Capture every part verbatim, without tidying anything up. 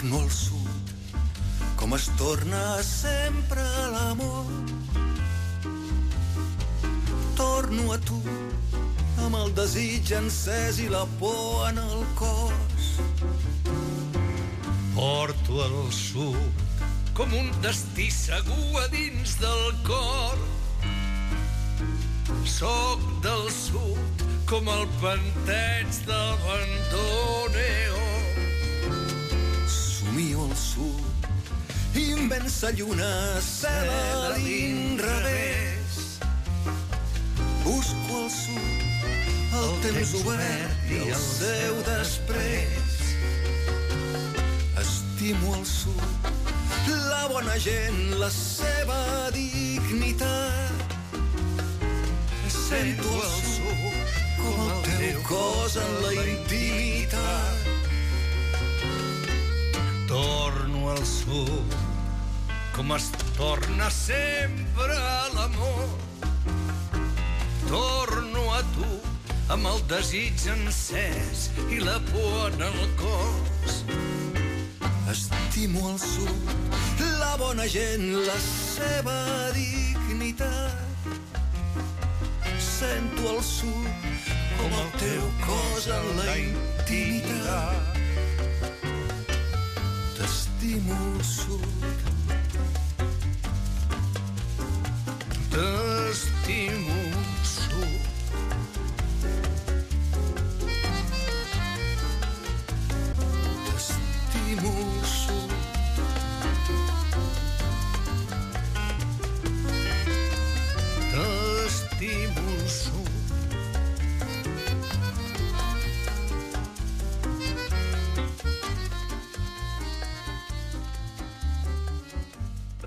Torno al sud, com es torna sempre l'amor. Torno a tu, amb el desig encès i la por en el cos. Porto al sud, com un destí segur a dins del cor. Soc del sud, com el panteig del bandoneo. Somio al sud, immensa lluna, cel a l'inrevés. Busco al sud, el temps obert i el seu després. Estimo al sud, la bona gent, la seva dignitat. Sento al sud, com el teu cos en la intimitat. Torno al sud, com es torna sempre l'amor. Torno a tu, amb el desig encès i la por en el cos. Estimo al sud, la bona gent, la seva dignitat. Sento al sud, com el teu cos en la intimitat. T'estimo al sud. T'estimo al sud. T'estimo al sud. T'estimo al sud.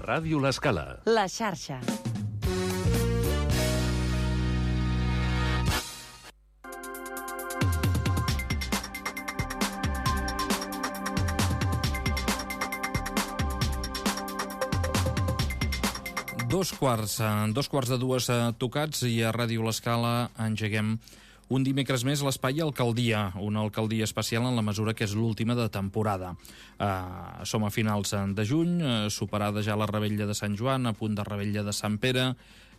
Ràdio L'Escala. La xarxa. Dos quarts, dos quarts de dues tocats i a Ràdio L'Escala engeguem un dimecres més l'espai Alcaldia, una alcaldia especial en la mesura que és l'última de temporada. Uh, som a finals de juny, uh, superada ja la revetlla de Sant Joan, a punt de revetlla de Sant Pere,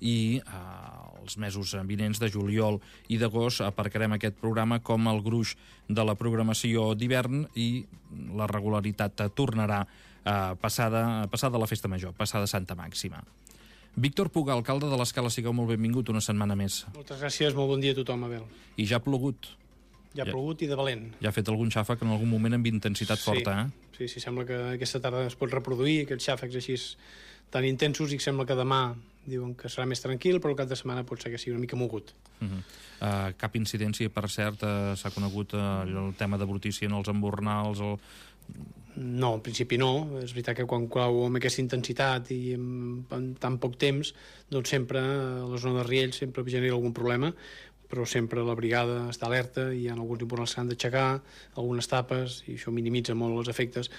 i uh, els mesos vinents de juliol i d'agost aparcarem aquest programa com el gruix de la programació d'hivern i la regularitat tornarà uh, passada, passada la festa major, passada Santa Màxima. Víctor Puga, alcalde de l'Escala, sigueu molt benvingut una setmana més. Moltes gràcies, molt bon dia a tothom, Abel. I ja ha plogut. Ja ha ja, plogut i de valent. Ja ha fet algun xàfec en algun moment amb intensitat sí, forta, eh? Sí, sí, sembla que aquesta tarda es pot reproduir, aquests xàfecs així tan intensos, i sembla que demà diuen que serà més tranquil, però el cap de setmana pot ser que sigui una mica mogut. Uh -huh. uh, cap incidència, per cert, uh, s'ha conegut uh, el tema de brutícia en els embornals, el... No, en principi no. És veritat que quan cau amb aquesta intensitat i en, en tan poc temps, doncs sempre a la zona de Riells sempre genera algun problema, però sempre la brigada està alerta i hi ha alguns embornals que han d'aixecar, algunes tapes, i això minimitza molt els efectes,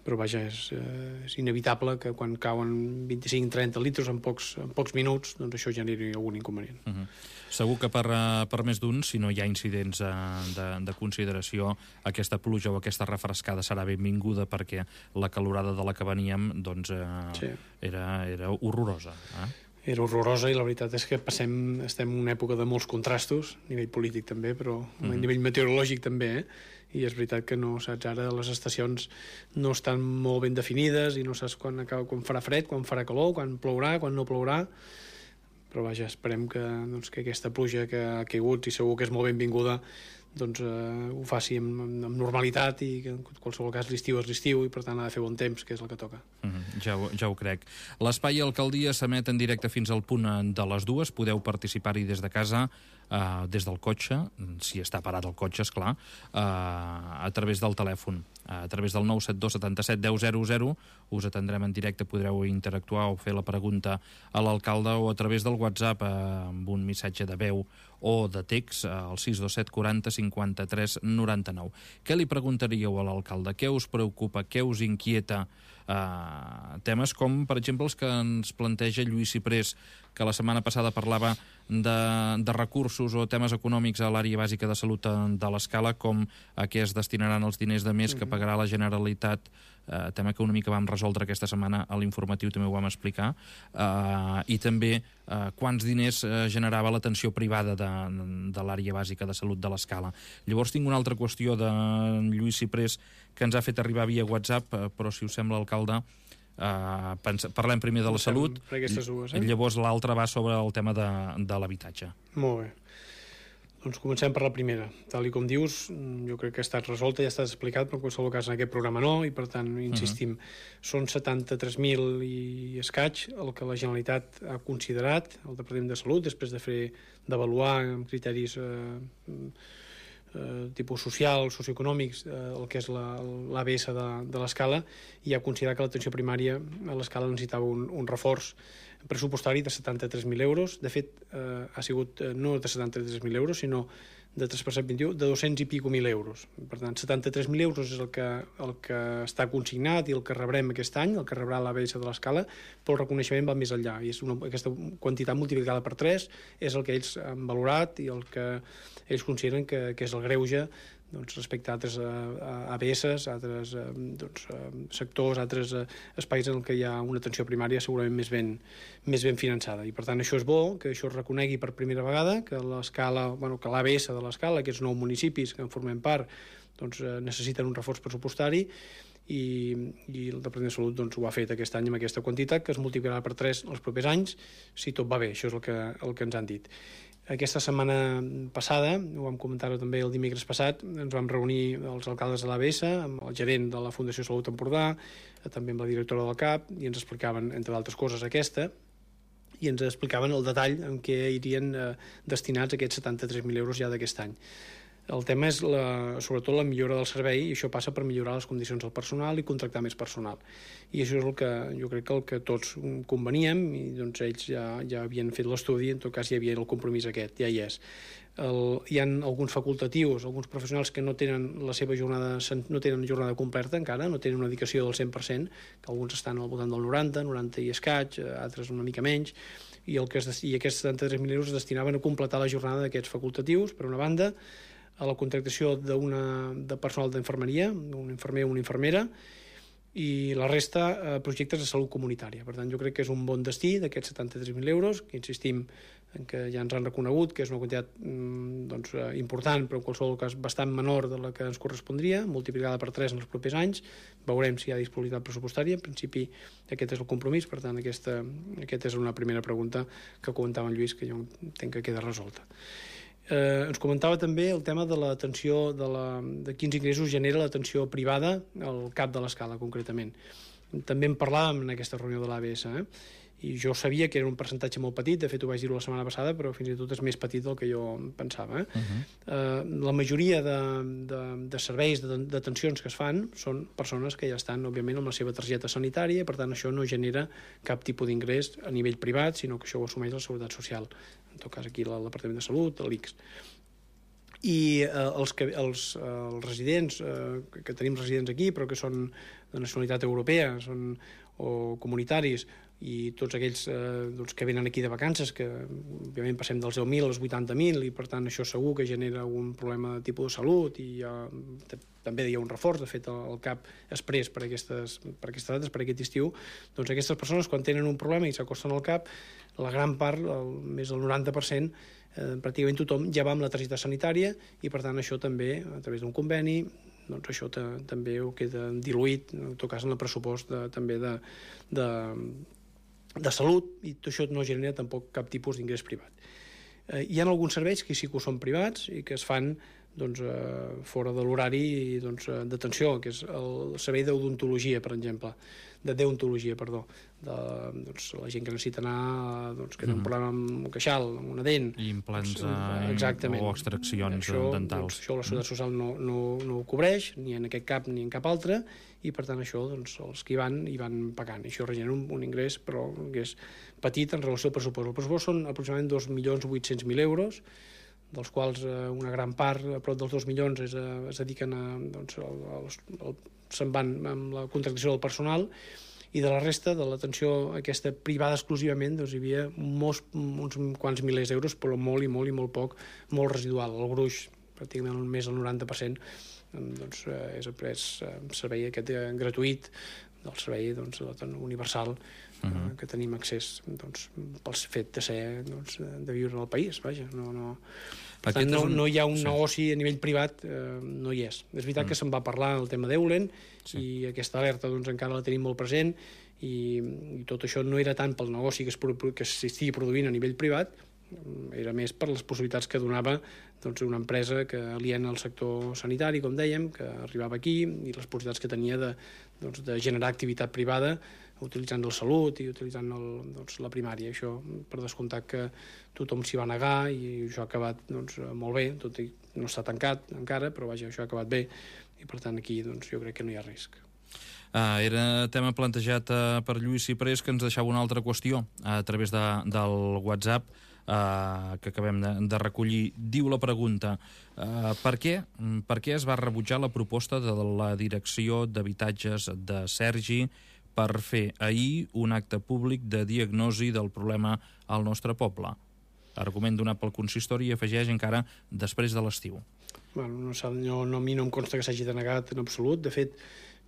però vaja, és, eh, és inevitable que quan cauen vint-i-cinc trenta litres en pocs, en pocs minuts, doncs això generi algun inconvenient. Uh -huh. Segur que per, per més d'un, si no hi ha incidents de, de consideració, aquesta pluja o aquesta refrescada serà benvinguda, perquè la calorada de la que veníem doncs, eh, sí. era, era horrorosa. Eh? Era horrorosa, i la veritat és que passem, estem en una època de molts contrastos, a nivell polític també, però a mm-hmm. nivell meteorològic també, eh? I és veritat que no saps, ara les estacions no estan molt ben definides i no saps quan, quan farà fred, quan farà calor, quan plourà, quan no plourà, però vaja, esperem que, doncs, que aquesta pluja que ha caigut, i segur que és molt benvinguda, doncs eh, ho faci amb, amb normalitat, i que en qualsevol cas l'estiu és l'estiu i per tant ha de fer bon temps, que és el que toca. Mm-hmm, ja, ho, ja ho crec. L'espai Alcaldia s'emet en directe fins al punt de les dues, podeu participar-hi des de casa, eh, des del cotxe, si està parat el cotxe, esclar, eh, a través del telèfon, a través del nou set dos setanta set deu zero zero, us atendrem en directe, podreu interactuar o fer la pregunta a l'alcalde, o a través del WhatsApp eh, amb un missatge de veu o de text al sis dos set quaranta cinquanta-tres noranta-nou. Què li preguntaríeu a l'alcalde? Què us preocupa? Què us inquieta? Uh, temes com, per exemple, els que ens planteja Lluís Ciprés, que la setmana passada parlava de, de recursos o temes econòmics a l'àrea bàsica de salut de l'Escala, com a què es destinaran els diners de més que pagarà la Generalitat eh, tema que una mica vam resoldre aquesta setmana a l'informatiu, també ho vam explicar, eh, i també eh, quants diners eh, generava l'atenció privada de, de l'àrea bàsica de salut de l'Escala. Llavors tinc una altra qüestió de Lluís Ciprés que ens ha fet arribar via WhatsApp, eh, però si us sembla, alcalde, Uh, parlem primer de la salut, dues, eh? llavors l'altra va sobre el tema de, de l'habitatge. Molt bé. Doncs comencem per la primera. Tal i com dius, jo crec que ha estat resolta, ja ha estat explicat, però en qualsevol cas en aquest programa no, i per tant, insistim, uh-huh. són setanta-tres mil i escaig el que la Generalitat ha considerat, el Departament de Salut, després de fer d'avaluar amb criteris eh, Eh, tipus social, socioeconòmics, eh, el que és l'A B S de, de l'Escala, i ha considerat que l'atenció primària a l'Escala necessitava un, un reforç pressupostari de setanta-tres mil euros. De fet, eh, ha sigut eh, no de setanta-tres mil euros, sinó de tres per cent vint-i-u, de dos-cents i pico mil euros. Per tant, setanta-tres mil euros és el que, el que està consignat i el que rebrem aquest any, el que rebrà l'A B S de l'Escala, però el reconeixement va més enllà. I és una, aquesta quantitat multiplicada per tres és el que ells han valorat i el que ells consideren que, que és el greuge, doncs, respecte a altres A B S, a altres doncs, sectors, a altres espais en què hi ha una atenció primària segurament més ben, més ben finançada. I per tant això és bo, que això es reconegui per primera vegada, que l'Escala, bueno, que l'A B S de l'Escala, aquests nou municipis que en formem part, doncs, necessiten un reforç pressupostari, i, i el Departament de Salut doncs, ho ha fet aquest any amb aquesta quantitat, que es multiplicarà per tres els propers anys, si tot va bé. Això és el que, el que ens han dit. Aquesta setmana passada, ho vam comentar també el dimecres passat, ens vam reunir els alcaldes de l'A B S, amb el gerent de la Fundació Salut Empordà, també amb la directora del C A P, i ens explicaven, entre d'altres coses, aquesta, i ens explicaven el detall en què irien eh, destinats aquests setanta-tres mil euros ja d'aquest any. El tema és la, sobretot la millora del servei, i això passa per millorar les condicions del personal i contractar més personal. I això és el que jo crec que el que tots conveníem, i doncs ells ja, ja havien fet l'estudi, en tot cas hi havia el compromís aquest, ja hi és. El, hi ha alguns facultatius, alguns professionals que no tenen la seva jornada, no tenen jornada completa encara, no tenen una dedicació del cent per cent, que alguns estan al voltant del noranta, noranta i escaig, altres una mica menys, i, el que es, i aquests setanta-tres mil euros es destinaven a completar la jornada d'aquests facultatius, per una banda, a la contractació d'una de personal d'infermeria, un infermer o una infermera, i la resta a projectes de salut comunitària. Per tant, jo crec que és un bon destí d'aquests setanta-tres mil euros, que insistim en que ja ens han reconegut que és una quantitat doncs, important, però en qualsevol cas bastant menor de la que ens correspondria, multiplicada per tres en els propers anys. Veurem si hi ha disponibilitat pressupostària. En principi aquest és el compromís, per tant aquesta, aquesta és una primera pregunta que comentava en Lluís, que jo entenc que queda resolta. Eh, ens comentava també el tema de l'atenció, de, la, de quins ingressos genera l'atenció privada al C A P de l'Escala, concretament. També en parlàvem en aquesta reunió de l'A B S, eh? I jo sabia que era un percentatge molt petit, de fet ho vaig dir la setmana passada, però fins i tot és més petit del que jo pensava. Eh? Uh-huh. eh, la majoria de, de, de serveis, d'atencions que es fan, són persones que ja estan, òbviament, amb la seva targeta sanitària, per tant, això no genera cap tipus d'ingrés a nivell privat, sinó que això ho assumeix la Seguretat Social, en tot cas aquí el Departament de Salut, l'I C S. I eh, els, que, els, eh, els residents, eh, que tenim residents aquí, però que són de nacionalitat europea, són o comunitaris, i tots aquells eh, doncs, que venen aquí de vacances, que òbviament passem dels deu mil als vuitanta mil, i per tant això segur que genera un problema de tipus de salut, i hi ha, també hi ha un reforç, de fet el C A P exprés per aquestes, per aquestes dates, per aquest estiu, doncs aquestes persones quan tenen un problema i s'acosten al C A P, la gran part, el, més del noranta per cent, eh, pràcticament tothom ja va amb la targeta sanitària, i per tant això també, a través d'un conveni, doncs això també ho queda diluït, en tot cas en el pressupost de, també de, de, de salut, i tot això no genera tampoc cap tipus d'ingrés privat. Eh, hi ha alguns serveis que sí que ho són privats i que es fan doncs, eh, fora de l'horari doncs, d'atenció, que és el servei d'odontologia, per exemple, de deontologia, perdó, de doncs, la gent que necessita anar, doncs, que té un problema amb un queixal, amb una dent, i implants doncs, exactament, o extraccions això, dentals. Doncs, això la Seguretat Social no, no, no ho cobreix, ni en aquest cap ni en cap altre, i per tant això doncs, els que hi van, hi van pagant. I això regenera un, un ingrés, però que és petit en relació al pressupost. El pressupost són aproximadament dos milions vuit-cents mil euros, dels quals eh, una gran part, a prop dels dos milions, es, es dediquen a, doncs, al, al, se'n van amb la contractació del personal, i de la resta, de l'atenció aquesta privada exclusivament, doncs hi havia molts, uns quants milers d'euros, però molt i molt i molt poc, molt residual. El gruix, pràcticament més del noranta per cent, doncs, és, és servei aquest gratuït del servei doncs, universal uh-huh. que tenim accés doncs, pel fet de ser doncs, de viure al país, vaja, no... no... Per tant, no, un... no hi ha un sí. negoci a nivell privat, eh, no hi és. És veritat mm. que se'n va parlar el tema d'Eulen sí. i aquesta alerta doncs, encara la tenim molt present i, i tot això no era tant pel negoci que, es, que s'estigui produint a nivell privat, era més per les possibilitats que donava doncs, una empresa que aliena al sector sanitari, com dèiem, que arribava aquí i les possibilitats que tenia de, doncs, de generar activitat privada utilitzant el salut i utilitzant el, doncs, la primària. Això, per descomptat que tothom s'hi va negar i això ha acabat doncs, molt bé, tot i no està tancat encara, però vaja, això ha acabat bé i per tant aquí doncs, jo crec que no hi ha risc. Ah, era tema plantejat uh, per Lluís Ciprés, que ens deixava una altra qüestió a través de, del WhatsApp uh, que acabem de, de recollir. Diu la pregunta, uh, per què, per què es va rebutjar la proposta de la Direcció d'Habitatges de Sergi per fer ahir un acte públic de diagnosi del problema al nostre poble? Argument donat pel consistori i afegeix encara després de l'estiu. Bueno, no, no, no, a mi no em consta que s'hagi denegat en absolut. De fet,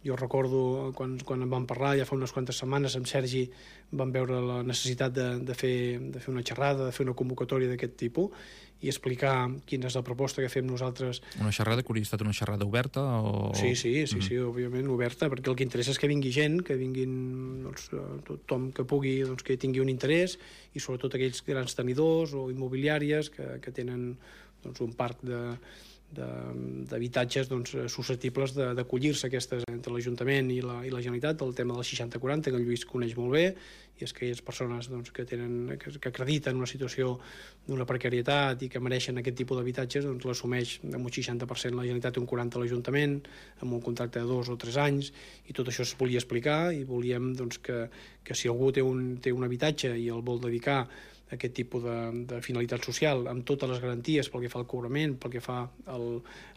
jo recordo quan, quan en vam parlar ja fa unes quantes setmanes amb Sergi vam veure la necessitat de, de, fer, de fer una xerrada, de fer una convocatòria d'aquest tipus i explicar quina és la proposta que fem nosaltres. Una xerrada que hauria estat una xerrada oberta? O... Sí, sí, sí, mm-hmm. sí, òbviament oberta, perquè el que interessa és que vingui gent, que vinguin doncs, tothom que pugui, doncs, que tingui un interès i sobretot aquells grans tenidors o immobiliàries que, que tenen doncs, un parc de d'habitatges doncs, susceptibles d'acollir-se aquestes entre l'Ajuntament i la, i la Generalitat, el tema del seixanta quaranta, que el Lluís coneix molt bé, i és que aquelles persones doncs, que, tenen, que, que acrediten una situació d'una precarietat i que mereixen aquest tipus d'habitatges, doncs l'assumeix amb un seixanta per cent la Generalitat i un quaranta per cent l'Ajuntament, amb un contracte de dos o tres anys, i tot això es volia explicar, i volíem doncs, que, que si algú té un, té un habitatge i el vol dedicar aquest tipus de, de finalitat social amb totes les garanties pel que fa al cobrament, pel que fa al,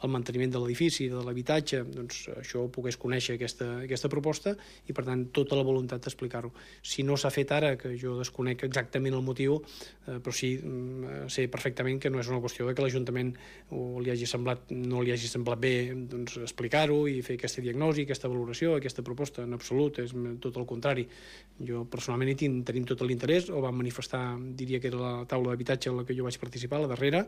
al manteniment de l'edifici, de l'habitatge, doncs això ho pogués conèixer aquesta, aquesta proposta i per tant tota la voluntat d'explicar-ho. Si no s'ha fet ara, que jo desconec exactament el motiu, eh, però sí eh, sé perfectament que no és una qüestió de que l'Ajuntament o li hagi semblat, no li hagi semblat bé doncs, explicar-ho i fer aquesta diagnosi, aquesta valoració, aquesta proposta, en absolut, és tot el contrari. Jo personalment hi tinc, tenim tot l'interès, o vam manifestar diria que era la taula d'habitatge en la que jo vaig participar, la darrera,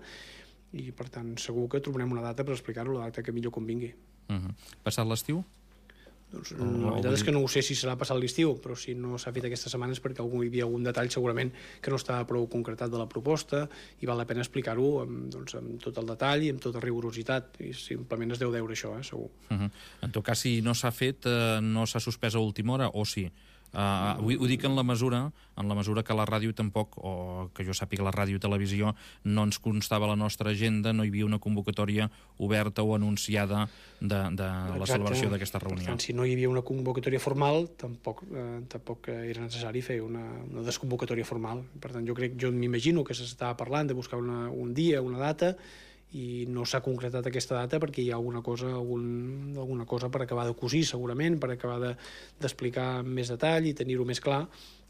i per tant segur que trobarem una data per explicar-ho, la data que millor convingui. Uh-huh. Passat l'estiu? Doncs, la veritat és que no ho sé si serà passat l'estiu, però si no s'ha fet aquesta setmana és perquè algú, hi havia algun detall segurament que no estava prou concretat de la proposta i val la pena explicar-ho amb, doncs, amb tot el detall i amb tota rigorositat, i simplement es deu deure això, eh, segur. Uh-huh. En tot cas, si no s'ha fet, eh, no s'ha suspès a última hora, o sí? Uh, ho, ho dic en la mesura en la mesura que la ràdio tampoc, o que jo sàpiga la ràdio i televisió, no ens constava la nostra agenda, no hi havia una convocatòria oberta o anunciada de, de la celebració d'aquesta reunió. Per tant, si no hi havia una convocatòria formal, tampoc, eh, tampoc era necessari fer una, una desconvocatòria formal. Per tant, jo crec, jo m'imagino que s'estava parlant de buscar una, un dia, una data, i no s'ha concretat aquesta data perquè hi ha alguna cosa, algun, alguna cosa per acabar de cosir segurament, per acabar d'explicar de, amb més detall i tenir-ho més clar,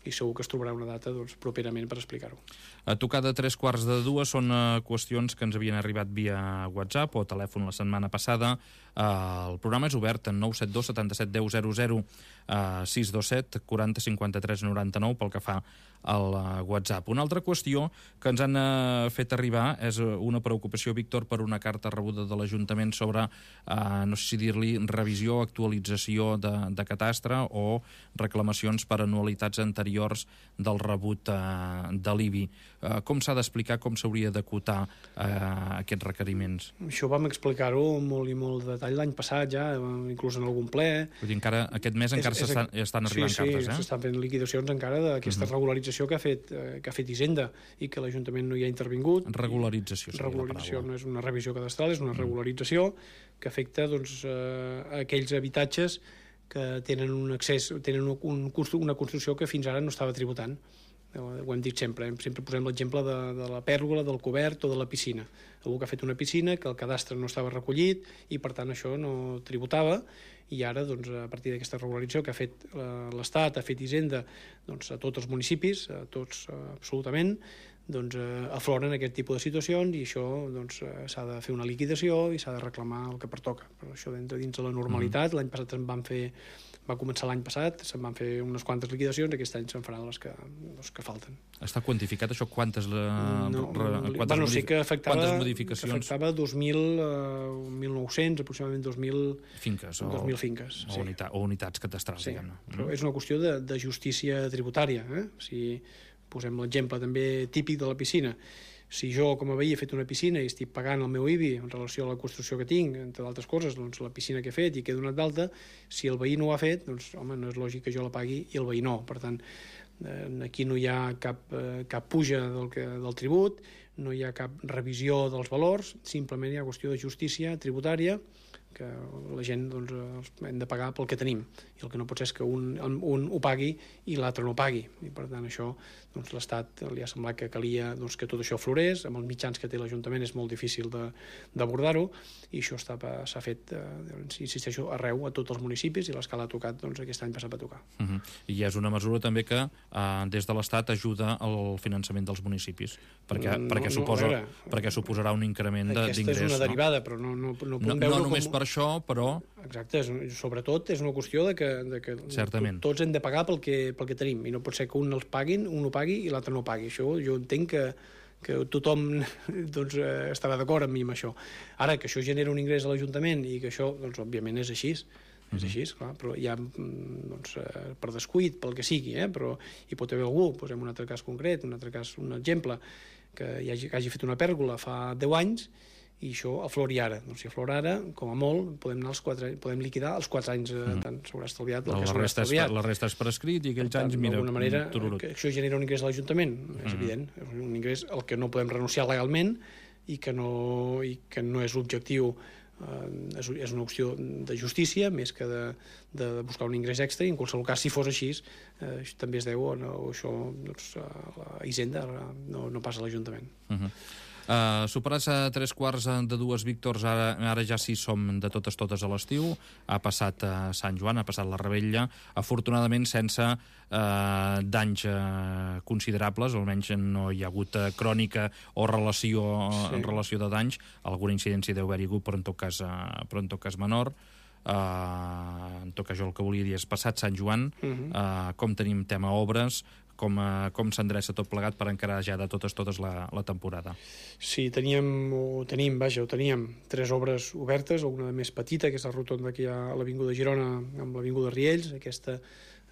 i segur que es trobarà una data doncs, properament per explicar-ho. A tocar de tres quarts de dues són uh, qüestions que ens havien arribat via WhatsApp o telèfon la setmana passada. Uh, el programa és obert en nou set dos setanta-set deu zero zero, uh, sis dos set quaranta cinquanta-tres noranta-nou pel que fa al uh, WhatsApp. Una altra qüestió que ens han uh, fet arribar és una preocupació, Víctor, per una carta rebuda de l'Ajuntament sobre, uh, no sé si dir-li, revisió, actualització de, de catastre o reclamacions per anualitats anteriors del rebut uh, de l'I B I. Uh, com s'ha d'explicar, com s'hauria d'acotar uh, aquests requeriments? Això vam explicar-ho molt i molt de detall l'any passat ja, inclús en algun ple. Vull dir, encara, aquest mes encara s'estan estan arribant sí, cartes, sí, eh? s'estan fent liquidacions encara d'aquesta uh-huh. regularització que ha fet, eh, que ha fet Hisenda i que l'Ajuntament no hi ha intervingut. Regularització seria regularització, la paraula. No és una revisió cadastral, és una uh-huh. regularització que afecta doncs, eh, aquells habitatges que tenen un accés, tenen un, un, una construcció que fins ara no estava tributant. Ho hem dit sempre, sempre posem l'exemple de, de la pèrgola, del cobert o de la piscina. Algú que ha fet una piscina, que el cadastre no estava recollit i per tant això no tributava, i ara doncs, a partir d'aquesta regularització que ha fet l'Estat, ha fet Hisenda doncs, a tots els municipis, a tots absolutament, doncs, eh, afloren aquest tipus de situacions i això doncs, eh, s'ha de fer una liquidació i s'ha de reclamar el que pertoca. Però això entra dins de la normalitat. Mm. L'any passat se'n van fer, va començar l'any passat, se'n van fer unes quantes liquidacions, aquest any se'n faran les que, les que falten. Està quantificat això? Quantes, la, no, re, quantes, bueno, modif sí que afectava, quantes modificacions? Que afectava dos mil, uh, mil nou-cents, aproximadament dos mil finques, o, dos mil finques, o, sí. unitat, o unitats catastrals, sí, diguem-ne. Però és una qüestió de, de justícia tributària. Eh? Si posem l'exemple també típic de la piscina. Si jo, com a veí, he fet una piscina i estic pagant el meu I B I en relació a la construcció que tinc, entre d'altres coses, doncs la piscina que he fet i que he donat d'alta, si el veí no ho ha fet, doncs, home, no és lògic que jo la pagui i el veí no. Per tant, eh, aquí no hi ha cap, eh, cap puja del, que, del tribut, no hi ha cap revisió dels valors, simplement hi ha qüestió de justícia tributària, que la gent doncs, hem de pagar pel que tenim, i el que no pot ser és que un, un ho pagui i l'altre no pagui, i per tant això doncs, l'Estat li ha semblat que calia doncs, que tot això florés, amb els mitjans que té l'Ajuntament és molt difícil d'abordar-ho, i això s'ha fet, eh, insisteixo, arreu, a tots els municipis, i l'escala ha tocat, doncs aquest any passat va tocar. Uh -huh. I és una mesura també que eh, des de l'Estat ajuda al finançament dels municipis, perquè, no, perquè, no, suposa, veure, perquè suposarà un increment d'ingrés. Aquesta és una derivada, no? però no, no, no podem no, veure no només com... per això, però... Exacte, és, sobretot és una qüestió de que, de que Certament. tots hem de pagar pel que, pel que tenim, i no pot ser que un els paguin, un ho pagui i l'altre no ho pagui. Això jo entenc que, que tothom doncs, eh, estarà d'acord amb mi amb això. Ara, que això genera un ingrés a l'Ajuntament i que això, doncs, òbviament és així, és així, clar, però hi ha, doncs, eh, per descuit, pel que sigui, eh, però hi pot haver algú, posem un altre cas concret, un altre cas, un exemple, que hi hagi, que hagi fet una pèrgola fa deu anys i això aflori ara. Doncs si aflora ara, com a molt, podem, anar als quatre, podem liquidar els quatre anys, eh, mm. tant s'haurà estalviat el la que s'haurà estalviat. La resta és per escrit i aquells tant, anys, mira, d'alguna manera, tururut. Que això genera un ingrés a l'Ajuntament, és mm. evident, és un ingrés al que no podem renunciar legalment i que no, i que no és l'objectiu, eh, és, és una qüestió de justícia més que de, de buscar un ingrés extra, i en qualsevol cas, si fos així, eh, també es deu o no, això doncs, a la Hisenda, no, no passa a l'Ajuntament. Uh -huh. Uh, superats a tres quarts de dues, Víctors, ara, ara ja sí som de totes totes a l'estiu, ha passat uh, Sant Joan, ha passat la Rebella, afortunadament sense uh, danys uh, considerables, almenys no hi ha hagut uh, crònica o relació, sí. en relació de danys, alguna incidència deu haver-hi hagut, però en tot cas, uh, però en tot cas menor. Uh, en tot cas, jo el que volia dir és passat Sant Joan, uh -huh. uh, com tenim tema obres, com, uh, com s'endreça tot plegat per encarar ja de totes totes la, la temporada. Sí, teníem, o tenim, vaja, ho teníem tres obres obertes, una de més petita, que és la rotonda que hi ha a l'Avinguda Girona amb l'Avinguda Riells. Aquesta,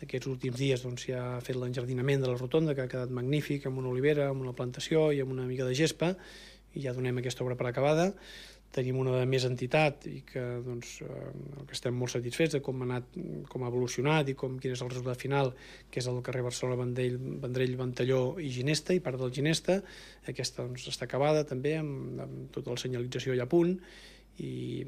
aquests últims dies doncs, s'ha fet l'enjardinament de la rotonda, que ha quedat magnífic, amb una olivera, amb una plantació i amb una mica de gespa, i ja donem aquesta obra per acabada. Tenim una de més entitat i que, doncs, eh, que estem molt satisfets de com ha anat, com ha evolucionat i com, quin és el resultat final, que és el carrer Barcelona, Vendrell, Vendrell, Ventalló i Ginesta, i part del Ginesta. Aquesta doncs, està acabada també, amb, amb tota la senyalització ja a punt, i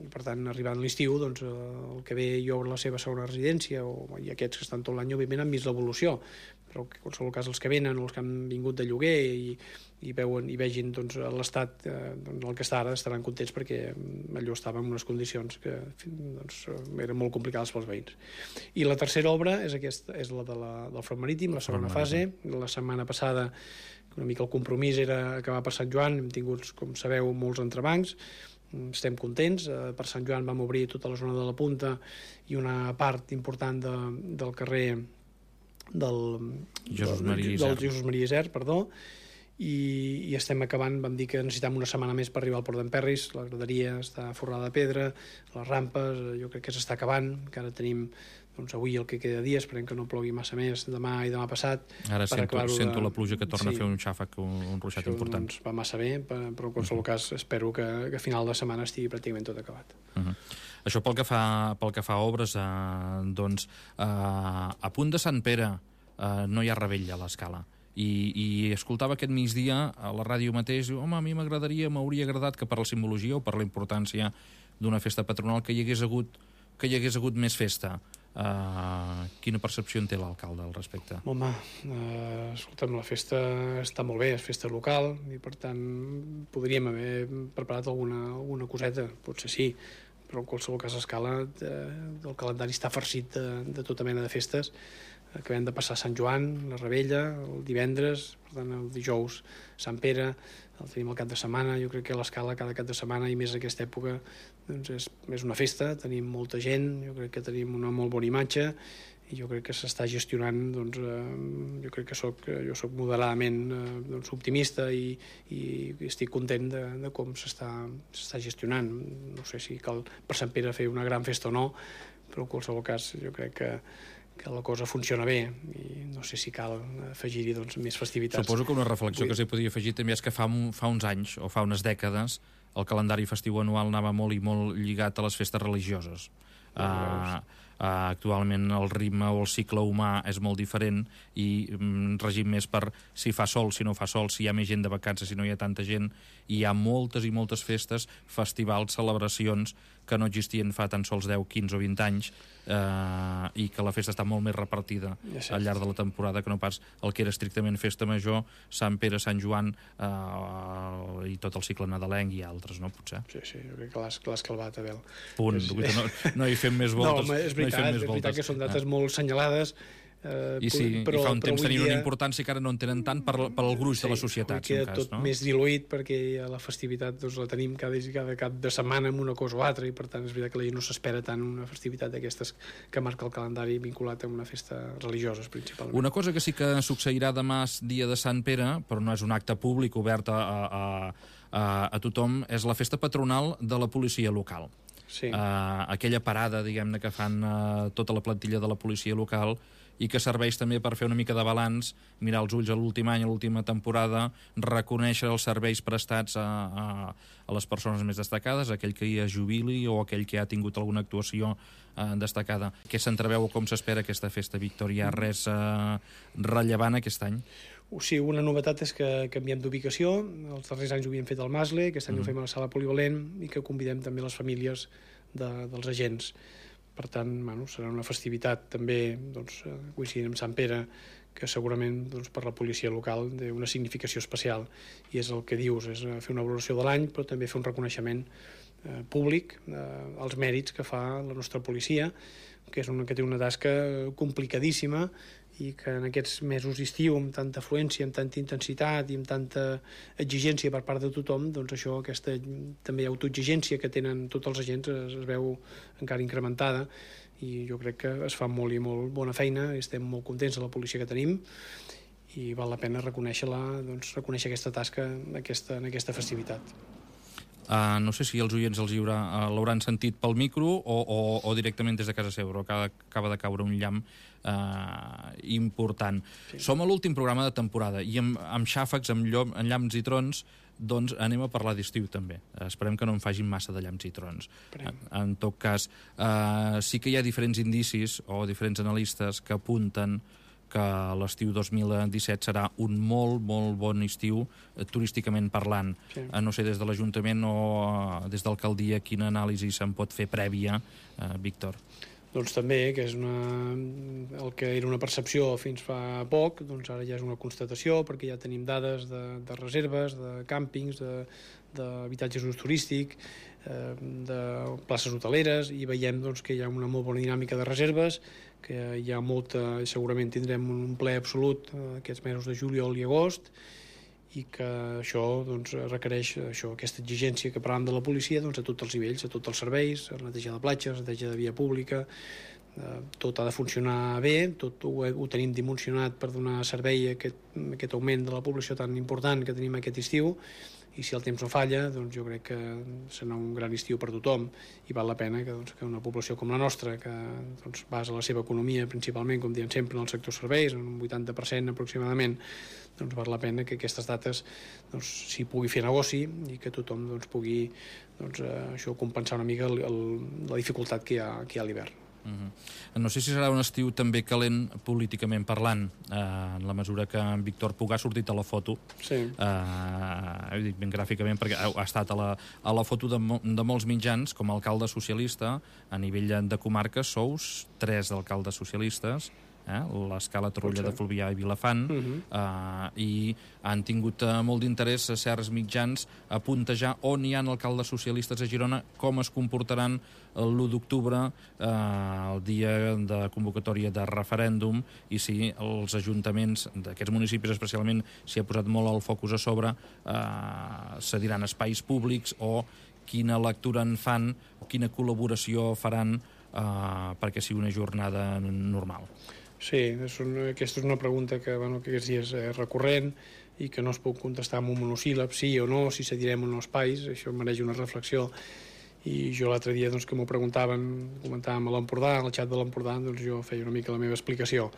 per tant, arribant a l'estiu, doncs, el que ve i obre la seva segona residència, o, i aquests que estan tot l'any, òbviament, han vist l'evolució, però en qualsevol cas els que venen o els que han vingut de lloguer i, i veuen i vegin doncs, l'estat eh, doncs, el que està ara, estaran contents perquè allò estava en unes condicions que doncs, eren molt complicades pels veïns. I la tercera obra és, aquesta, és la de la, del front marítim, la segona fase. La setmana passada una mica el compromís era acabar per Sant Joan, hem tingut, com sabeu, molts entrebancs, estem contents. Per Sant Joan vam obrir tota la zona de la Punta i una part important de, del carrer del Jesús Maria Isern, del Jesús Maria Isern, perdó, i, i estem acabant. Vam dir que necessitem una setmana més per arribar al Port d'Emperris, la graderia està forrada de pedra, les rampes, jo crec que s'està acabant, que ara tenim doncs, avui el que queda de dia, esperem que no plogui massa més demà i demà passat. Ara sento, sento de... la pluja que torna sí. a fer un xàfec, un, un ruixat Això, important. Doncs, va massa bé, però en qualsevol uh -huh. cas espero que, que a final de setmana estigui pràcticament tot acabat. Uh -huh. Això pel que fa, pel que fa a obres, eh, doncs, eh, a punt de Sant Pere eh, no hi ha rebella a l'escala. I, i escoltava aquest migdia a la ràdio mateix, home, a mi m'agradaria, m'hauria agradat que per la simbologia o per la importància d'una festa patronal que hi hagués hagut, que hi hagués hagut més festa. Uh, quina percepció en té l'alcalde al respecte? Home, uh, escolta'm, la festa està molt bé, és festa local, i per tant podríem haver preparat alguna, alguna coseta, potser sí, però en qualsevol cas a escala eh, el calendari està farcit de, de tota mena de festes. acabem de passar Sant Joan, la Rebella, el divendres, per tant el dijous Sant Pere, el tenim el cap de setmana. Jo crec que l'Escala cada cap de setmana i més aquesta època doncs és, és una festa, tenim molta gent, jo crec que tenim una molt bona imatge i jo crec que s'està gestionant, doncs, eh, jo crec que soc, jo soc moderadament eh, doncs, optimista i, i estic content de, de com s'està s'està gestionant. No sé si cal per Sant Pere fer una gran festa o no, però en qualsevol cas jo crec que que la cosa funciona bé i no sé si cal afegir-hi doncs, més festivitats. Suposo que una reflexió Vull... que s'hi podria afegir també és que fa, un, fa uns anys o fa unes dècades el calendari festiu anual anava molt i molt lligat a les festes religioses. Uh, uh, actualment el ritme o el cicle humà és molt diferent i um, regim més per si fa sol, si no fa sol, si hi ha més gent de vacances, si no hi ha tanta gent, i hi ha moltes i moltes festes, festivals, celebracions que no existien fa tan sols deu, quinze o vint anys eh, i que la festa està molt més repartida ja al llarg de la temporada que no pas el que era estrictament festa major, Sant Pere, Sant Joan eh, i tot el cicle nadalenc i altres, no? Potser. Sí, sí, jo crec que l'has calvat, Abel. Punt. És... No, no hi fem més voltes. No, és veritat, no és veritat que són dates ah. molt assenyalades. Uh, I sí, però, i fa un temps tenien dia... una importància que ara no en tenen tant per, per al gruix sí, de la societat. Sí, queda cas, tot no? més diluït perquè la festivitat doncs, la tenim cada, cada cap de setmana amb una cosa o altra i per tant és veritat que la gent no s'espera tant una festivitat d'aquestes que marca el calendari vinculat a una festa religiosa principalment. Una cosa que sí que succeirà demà dia de Sant Pere, però no és un acte públic obert a, a, a, a tothom, és la festa patronal de la policia local. Sí. Uh, aquella parada, diguem-ne, que fan uh, tota la plantilla de la policia local i que serveix també per fer una mica de balanç, mirar els ulls a l'últim any, a l'última temporada, reconèixer els serveis prestats a, a, a les persones més destacades, aquell que hi es jubili o aquell que ha tingut alguna actuació eh, destacada. Què s'entreveu o com s'espera aquesta festa, Víctor? Hi ha res eh, rellevant aquest any? Sí, una novetat és que canviem d'ubicació. Els darrers anys ho havíem fet al Masle, aquest any mm. ho fem a la sala polivalent i que convidem també les famílies de, dels agents. Per tant, bueno, serà una festivitat també doncs, coincidint amb Sant Pere, que segurament doncs, per la policia local té una significació especial. I és el que dius, és fer una valoració de l'any, però també fer un reconeixement eh, públic eh, als mèrits que fa la nostra policia, que és una que té una tasca complicadíssima i que en aquests mesos d'estiu, amb tanta afluència, amb tanta intensitat i amb tanta exigència per part de tothom, doncs això, aquesta també autoexigència que tenen tots els agents es, es veu encara incrementada i jo crec que es fa molt i molt bona feina, estem molt contents de la policia que tenim i val la pena reconèixer-la, doncs, reconèixer aquesta tasca en aquesta, en aquesta festivitat. Uh, no sé si els oients els uh, l'hauran sentit pel micro o, o, o directament des de casa seva, però acaba, acaba de caure un llamp uh, important. Sí. Som a l'últim programa de temporada i amb, amb xàfecs, amb, llom, amb llamps i trons, doncs anem a parlar d'estiu també. Uh, esperem que no en facin massa de llamps i trons. En, en tot cas, uh, sí que hi ha diferents indicis o diferents analistes que apunten que l'estiu dos mil disset serà un molt, molt bon estiu eh, turísticament parlant. Sí. Eh, no sé, des de l'Ajuntament o eh, des d'alcaldia, quina anàlisi se'n pot fer prèvia, eh, Víctor? Doncs també, que és una, el que era una percepció fins fa poc, doncs ara ja és una constatació, perquè ja tenim dades de, de reserves, de càmpings, d'habitatges d'ús turístic, eh, de places hoteleres, i veiem doncs, que hi ha una molt bona dinàmica de reserves, que hi ha molta, segurament tindrem un ple absolut aquests mesos de juliol i agost, i que això doncs, requereix això, aquesta exigència que parlàvem de la policia doncs, a tots els nivells, a tots els serveis, la neteja de platges, la neteja de via pública, eh, tot ha de funcionar bé, tot ho, ho tenim dimensionat per donar servei a aquest, a aquest augment de la població tan important que tenim aquest estiu, i si el temps no falla, doncs jo crec que serà un gran estiu per tothom i val la pena que, doncs, que una població com la nostra, que doncs, basa la seva economia principalment, com diem sempre, en el sector serveis, en un vuitanta per cent aproximadament, doncs val la pena que aquestes dates doncs, s'hi pugui fer negoci i que tothom doncs, pugui doncs, eh, això compensar una mica el, el, la dificultat que hi ha, que hi ha a l'hivern. Uh-huh. No sé si serà un estiu també calent políticament parlant, eh, en la mesura que en Víctor Puig ha sortit a la foto, sí. eh, dic ben gràficament perquè ha, ha estat a la, a la foto de, de molts mitjans com a alcalde socialista a nivell de comarques, sous tres alcaldes socialistes, eh, l'escala Torroella de Fluvià i Vilafant, uh -huh. eh, i han tingut eh, molt d'interès a certs mitjans a puntejar on hi ha alcaldes socialistes a Girona, com es comportaran l'u d'octubre, eh, el dia de convocatòria de referèndum, i si els ajuntaments d'aquests municipis especialment s'hi ha posat molt el focus a sobre, eh, cediran espais públics o quina lectura en fan o quina col·laboració faran eh, perquè sigui una jornada normal. Sí, és una, aquesta és una pregunta que, bueno, que aquests dies és recurrent i que no es pot contestar amb un monosíl·lab, sí o no, si cedirem o no espais, això mereix una reflexió. I jo l'altre dia, doncs, que m'ho preguntaven, comentàvem a l'Empordà, al xat de l'Empordà, doncs jo feia una mica la meva explicació.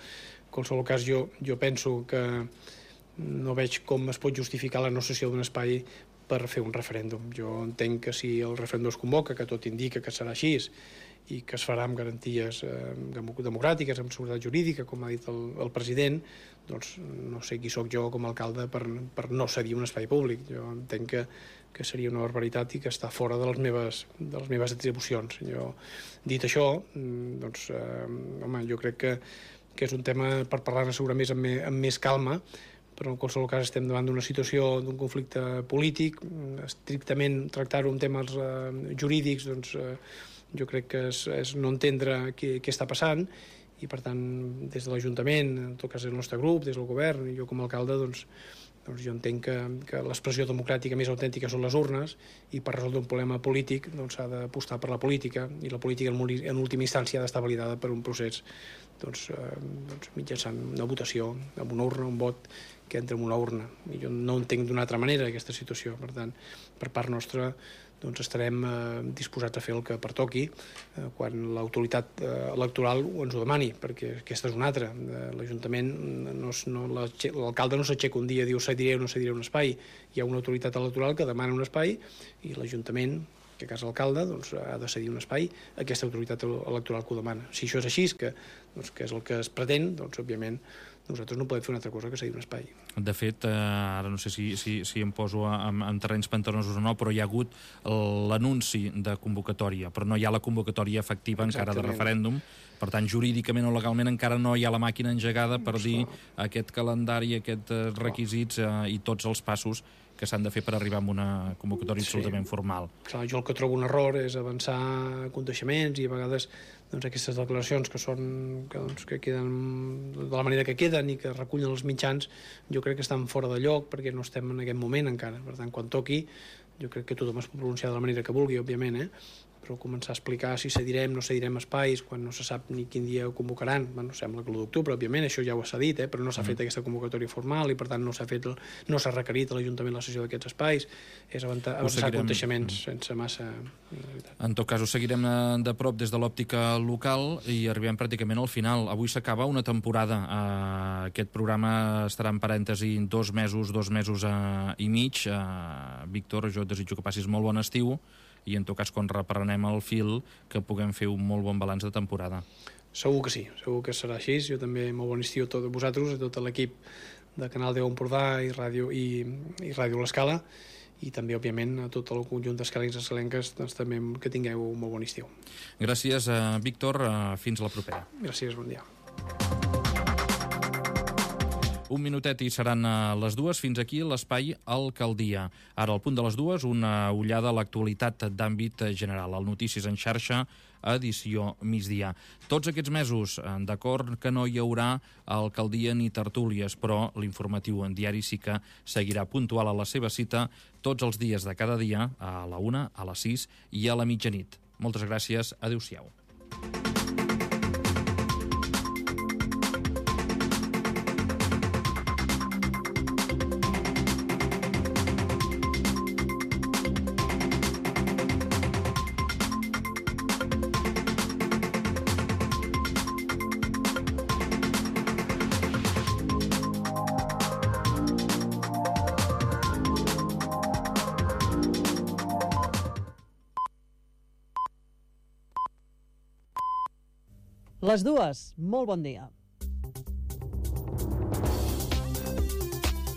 En qualsevol cas, jo, jo penso que no veig com es pot justificar la no cessió d'un espai per fer un referèndum. Jo entenc que si el referèndum es convoca, que tot indica que serà així, i que es farà amb garanties eh, democràtiques, amb seguretat jurídica, com ha dit el, el president, doncs no sé qui sóc jo com a alcalde per, per no cedir un espai públic. Jo entenc que, que seria una barbaritat i que està fora de les meves, de les meves atribucions. Jo, dit això, doncs, eh, home, jo crec que, que és un tema per parlar-ne segurament amb, me, amb més calma, però en qualsevol cas estem davant d'una situació d'un conflicte polític, estrictament tractar-ho en temes eh, jurídics, doncs eh, jo crec que és, és no entendre què, què està passant, i per tant des de l'Ajuntament, en tot cas el nostre grup, des del govern, i jo com a alcalde, doncs, doncs jo entenc que, que l'expressió democràtica més autèntica són les urnes, i per resoldre un problema polític doncs s'ha d'apostar per la política, i la política en última instància ha d'estar validada per un procés doncs, eh, doncs mitjançant una votació, amb una urna, un vot que entra en una urna, i jo no entenc d'una altra manera aquesta situació. Per tant, per part nostra doncs estarem eh, disposats a fer el que pertoqui eh, quan l'autoritat eh, electoral ens ho demani, perquè aquesta és una altra. Eh, L'Ajuntament, no, no, l'alcalde no s'aixeca un dia i diu cediré o no cediré un espai. Hi ha una autoritat electoral que demana un espai i l'Ajuntament, que a casa l'alcalde, doncs, ha de cedir un espai a aquesta autoritat electoral que ho demana. Si això és així, que, doncs, que és el que es pretén, doncs, òbviament, nosaltres no podem fer una altra cosa que cedir un espai. De fet, eh, ara no sé si, si, si em poso en, en terrenys pantanosos o no, però hi ha hagut l'anunci de convocatòria, però no hi ha la convocatòria efectiva encara de referèndum. Per tant, jurídicament o legalment encara no hi ha la màquina engegada per dir aquest calendari, aquests requisits eh, i tots els passos que s'han de fer per arribar a una convocatòria sí. absolutament formal. Clar, jo el que trobo un error és avançar coneixements i a vegades doncs, aquestes declaracions que són que, doncs, que queden de la manera que queden i que recullen els mitjans, jo crec que estan fora de lloc perquè no estem en aquest moment encara. Per tant, quan toqui, jo crec que tothom es pot pronunciar de la manera que vulgui, òbviament, eh? Però començar a explicar si cedirem, no cedirem espais, quan no se sap ni quin dia ho convocaran. Bueno, sembla que l'u d'octubre, òbviament, això ja ho s'ha dit, eh? Però no s'ha mm. fet aquesta convocatòria formal i, per tant, no s'ha fet, el, no s'ha requerit a l'Ajuntament la cessió d'aquests espais. És avançar, avançar coneixements sense massa... En tot cas, ho seguirem de prop des de l'òptica local i arribem pràcticament al final. Avui s'acaba una temporada. Uh, aquest programa estarà en parèntesi dos mesos, dos mesos uh, i mig. Uh, Víctor, jo et desitjo que passis molt bon estiu i en tot cas, quan reprenem el fil, que puguem fer un molt bon balanç de temporada. Segur que sí, segur que serà així. Jo també molt bon estiu a tots vosaltres, a tot l'equip de Canal deu Empordà i Ràdio, i, i Ràdio L'Escala, i també, òbviament, a tot el conjunt d'escalencs i escalenques, doncs, també que tingueu un molt bon estiu. Gràcies, uh, Víctor. Uh, fins a la propera. Gràcies, bon dia. Un minutet i seran a les dues. Fins aquí l'espai Alcaldia. Ara, al punt de les dues, una ullada a l'actualitat d'àmbit general. El Notícies en xarxa, edició migdia. Tots aquests mesos, d'acord que no hi haurà alcaldia ni tertúlies, però l'informatiu en diari sí que seguirà puntual a la seva cita tots els dies de cada dia, a la una, a les sis i a la mitjanit. Moltes gràcies. Adéu-siau. Les dues, molt bon dia.